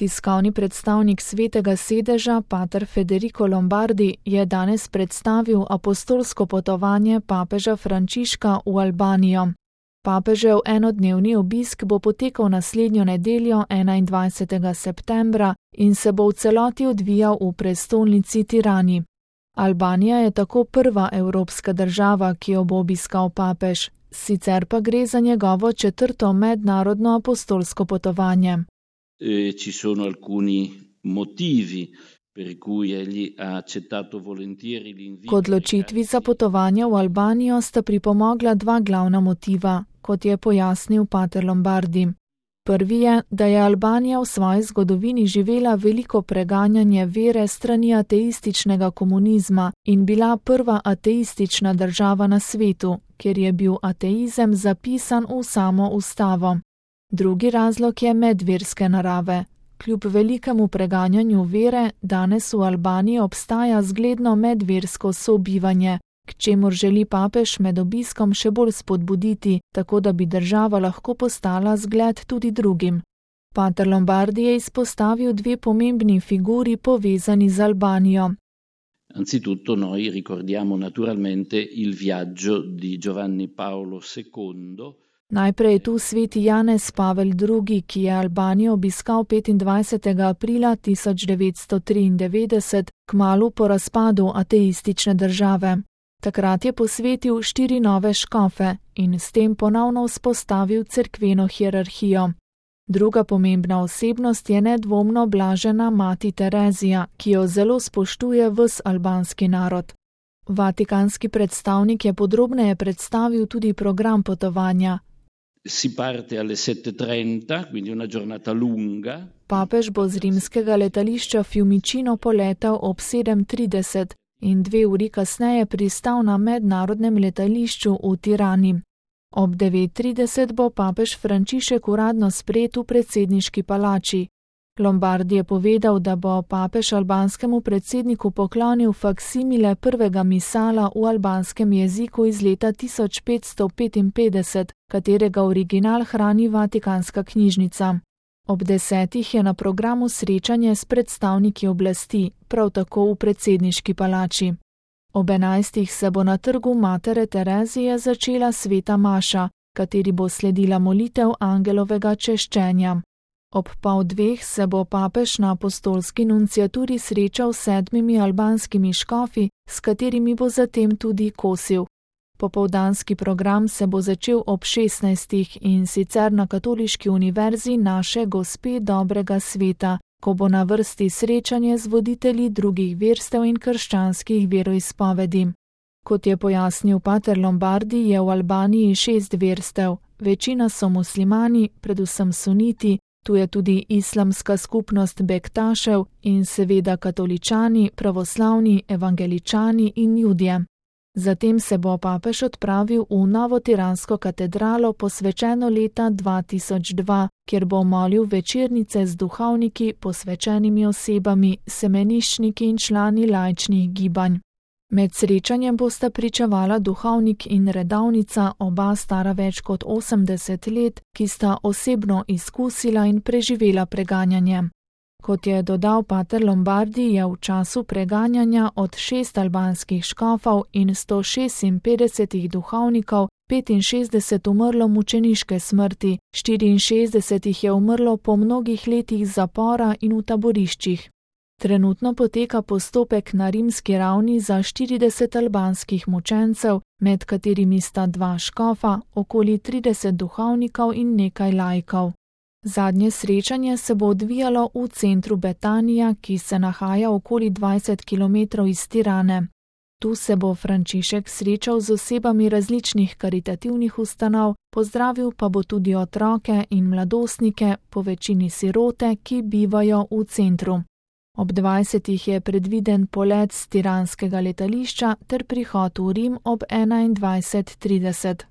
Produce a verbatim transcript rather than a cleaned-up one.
Tiskovni predstavnik Svetega sedeža, pater Federico Lombardi, je danes predstavil apostolsko potovanje papeža Frančiška v Albanijo. Papežev enodnevni obisk bo potekal naslednjo nedeljo enaindvajsetega septembra in se bo v celoti odvijal v prestolnici Tirani. Albanija je tako prva evropska država, ki jo bo obiskal papež, sicer pa gre za njegovo četrto mednarodno apostolsko potovanje. E, ci sono alcuni motivi per cui egli ha accettato volentieri l'invito. K odločitvi za potovanje v Albanijo sta pripomogla dva glavna motiva, kot je pojasnil pater Lombardi. Prvi je, da je Albanija v svoji zgodovini živela veliko preganjanje vere strani ateističnega komunizma in bila prva ateistična država na svetu, kjer je bil ateizem zapisan v samo ustavo. Drugi razlog je medverske narave. Kljub velikemu preganjanju vere, danes v Albaniji obstaja zgledno medversko sobivanje, k čemur želi papež med obiskom še bolj spodbuditi, tako da bi država lahko postala zgled tudi drugim. Pater Lombardi je izpostavil dve pomembni figuri povezani z Albanijo. Anzitutto noi ricordiamo naturalmente il viaggio di Giovanni Paolo secondo. Najprej je tu sveti Janez Pavel drugi, ki je Albanijo obiskal petindvajsetega aprila tisoč devetsto triindevetdeset, kmalu po razpadu ateistične države. Takrat je posvetil štiri nove škofe in s tem ponovno vzpostavil cerkveno hierarhijo. Druga pomembna osebnost je nedvomno blažena mati Terezija, ki jo zelo spoštuje ves albanski narod. Vatikanski predstavnik je podrobneje predstavil tudi program potovanja. Si parte alle sette e trenta, quindi una giornata lunga. Papež bo z rimskega letališča Fiumicino poletel ob sedem trideset in dve uri kasneje pristal na mednarodnem letališču v Tirani. Ob devet trideset bo papež Frančišek uradno sprejet v predsedniški palači. Lombardi je povedal, da bo papež albanskemu predsedniku poklonil faksimile prvega misala v albanskem jeziku iz leta tisoč petsto petinpetdeset, katerega original hrani Vatikanska knjižnica. Ob desetih je na programu srečanje s predstavniki oblasti, prav tako v predsedniški palači. Ob enajstih se bo na trgu Matere Terezije začela sveta maša, kateri bo sledila molitev angelovega češčenja. Ob pol dveh se bo papež na apostolski nunciaturi srečal s sedmimi albanskimi škofi, s katerimi bo zatem tudi kosil. Popoldanski program se bo začel ob šestnajstih in sicer na Katoliški univerzi Naše Gospe dobrega sveta, ko bo na vrsti srečanje z voditelji drugih verstev in krščanskih veroizpovedi. Kot je pojasnil pater Lombardi, je v Albaniji šest verstev, večina so muslimani, predvsem suniti, tu je tudi islamska skupnost Bektašev in seveda katoličani, pravoslavni, evangeličani in judje. Zatem se bo papež odpravil v novo tiransko katedralo posvečeno leta dva tisoč dva, kjer bo molil večernice z duhovniki, posvečenimi osebami, semeniščniki in člani laičnih gibanj. Med srečanjem bosta pričevala duhovnik in redovnica, oba stara več kot osemdeset let, ki sta osebno izkusila in preživela preganjanje. Kot je dodal pater Lombardi, je v času preganjanja od šest albanskih škofov in sto šestinpetdeset duhovnikov petinšestdeset umrlo mučeniške smrti, štiriinšestdeset jih je umrlo po mnogih letih zapora in v taboriščih. Trenutno poteka postopek na rimski ravni za štirideset albanskih mučencev, med katerimi sta dva škofa, okoli trideset duhovnikov in nekaj laikov. Zadnje srečanje se bo odvijalo v centru Betanija, ki se nahaja okoli dvajset kilometrov iz Tirane. Tu se bo Frančišek srečal z osebami različnih karitativnih ustanov, pozdravil pa bo tudi otroke in mladostnike, po večini sirote, ki bivajo v centru. Ob dvajsetih je predviden polet z tiranskega letališča ter prihod v Rim ob enaindvajset trideset.